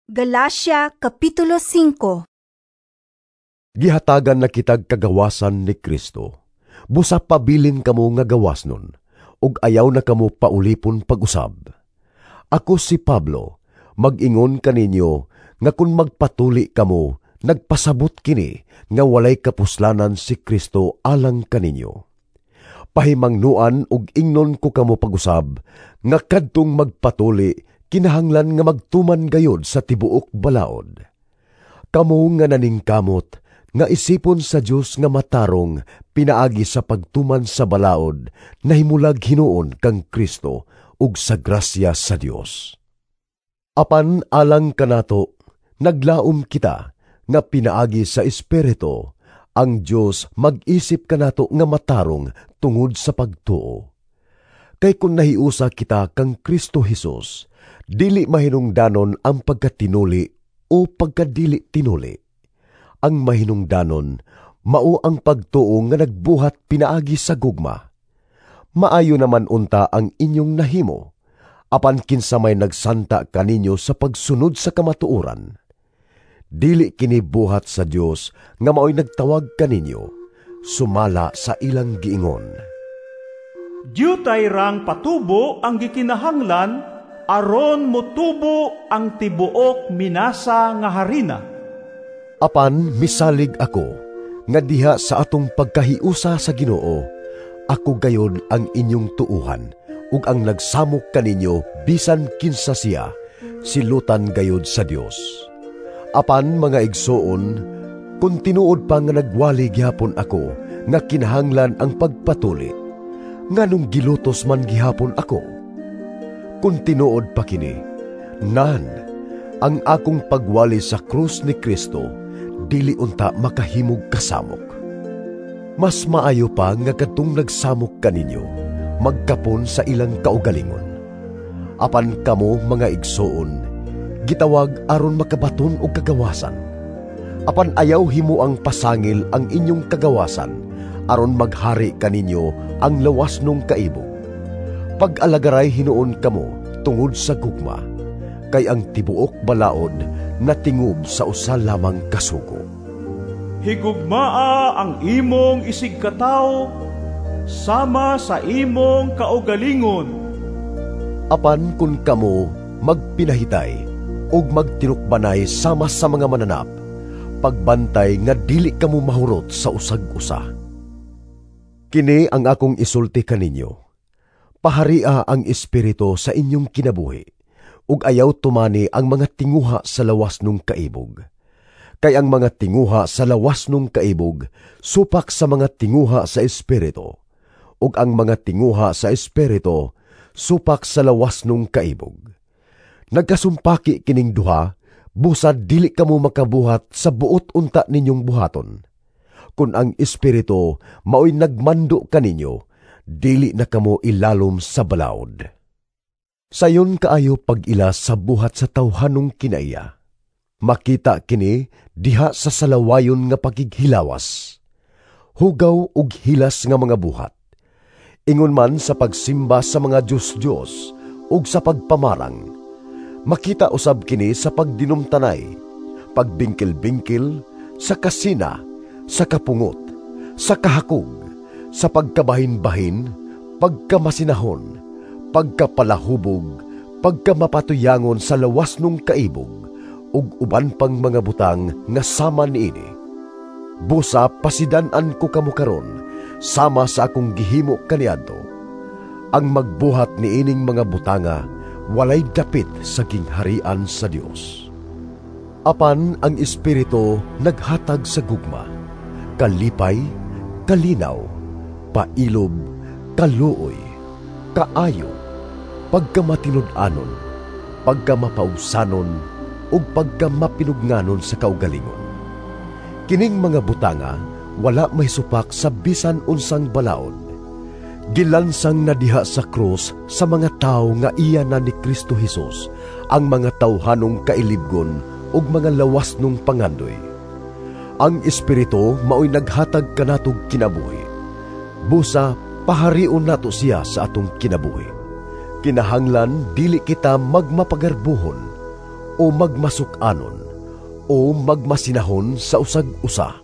Galacia Kapitulo 5. Gihatagan na kitag kagawasan ni Kristo. Busa pabilin kamo nga gawas nun, ug ayaw na kamo paulipon pag-usab. Ako si Pablo, mag-ingon kaninyo nga kun magpatuli kamo, nagpasabot kini nga walay kapuslanan si Kristo alang kaninyo. Pahimangnuan ug ingnon ko kamo pag-usab nga kadtong magpatuli kinahanglan nga magtuman gayod sa tibuok balaod. Kamo nga naningkamot nga isipon sa Dios nga matarong pinaagi sa pagtuman sa balaod, nahimulag hinuon kang Kristo ug sa grasya sa Dios. Apan alang kanato, naglaom kita nga pinaagi sa Espiritu ang Dios mag-isip kanato nga matarong tungod sa pagtuo. Kay kun nahiusa kita kang Kristo Hesus, dili mahinungdanon ang pagkatinuli o pagkadili tinuli. Ang mahinungdanon mao ang pagtuo nga nagbuhat pinaagi sa gugma. Maayo naman unta ang inyong nahimo, apan kinsa may nagsanta kaninyo sa pagsunod sa kamatuoran. Dili kini buhat sa Dios nga maoy nagtawag kaninyo, sumala sa ilang giingon. Diutay rang patubo ang gikinahanglan aron motubo ang tibuok minasa nga harina. Apan misalig ako nga diha sa atong pagkahiusa sa Ginoo, ako gayod ang inyong tuuhan ug ang nagsamok kaninyo bisan kinsa siya, silutan gayod sa Dios. Apan mga igsoon, kun tinuod pa nga nagwali gihapon ako nga kinahanglan ang pagpatuli, nganong gilutos man gihapon ako? Kun tinuod pa kini, nan, ang akong pagwali sa krus ni Kristo dili unta makahimog kasamok. Mas maayo pa nga kadtong nagsamok kaninyo, magkapon sa ilang kaugalingon. Apan kamo mga igsoon, gitawag aron makabaton og kagawasan. Apan ayaw himo ang pasangil ang inyong kagawasan, aron maghari kaninyo ang lawas nung kaibog. Pag-alagaray hinuon kamo tungod sa gugma, kay ang tibuok balaod natingob sa usa lamang kasugo. Higugmaa ang imong isigkatawo sama sa imong kaugalingon. Apan kun kamo magpinahitay ug magtinukbanay sama sa mga mananap, pagbantay nga dili kamo mahurot sa usag-usa. Kini ang akong isulti kaninyo. Paharia ang Espiritu sa inyong kinabuhi, ug ayaw tumani ang mga tinguha sa lawas nung kaibog. Kay ang mga tinguha sa lawas nung kaibog supak sa mga tinguha sa Espiritu, ug ang mga tinguha sa Espiritu supak sa lawas nung kaibog. Nagkasumpaki kining duha, busad dili kamo makabuhat sa buot unta ninyong buhaton. Kun ang Espiritu maoy nagmando kaninyo, dili na kamo ilalom sa balaod. Sayon kaayo pag-ila sa buhat sa tawhanong kinaiya. Makita kini diha sa salawayon nga pagighilawas, hugaw ug hilas nga mga buhat. Ingon man sa pagsimba sa mga Diyos-Diyos ug sa pagpamarang. Makita usab kini sa pagdinumtanay, pagbingkil-bingkil, sa kasina, sa kapungot, sa kahakog, sa pagkabahin-bahin, pagkamasinahon, pagkapalahubog, pagkamapatuyangon sa lawas nung kaibog, ug uban pang mga butang nga sama niini. Busa pasidan-an ko kamo karon, sama sa akong gihimo kaniadto. Ang magbuhat niining mga butanga walay dapit sa gingharian sa Dios. Apan ang Espiritu naghatag sa gugma, kalipay, kalinaw, pailob, kaluoy, kaayo, pagkamatinud-anon, pagkamapausanon, ug pagkamapinugnanon sa kaugalingon. Kining mga butanga wala may supak sa bisan unsang balaod. Gilansang na diha sa krus sa mga tawo nga iya na ni Kristo Hesus ang mga tawhanong kailibgon ug mga lawas nung pangandoy. Ang Espiritu maoy naghatag kanatog kinabuhi. Busa paharion nato siya sa atong kinabuhi. Kinahanglan dili kita magmapagarbuhon O magmasuk-anon o magmasinahon sa usag usa.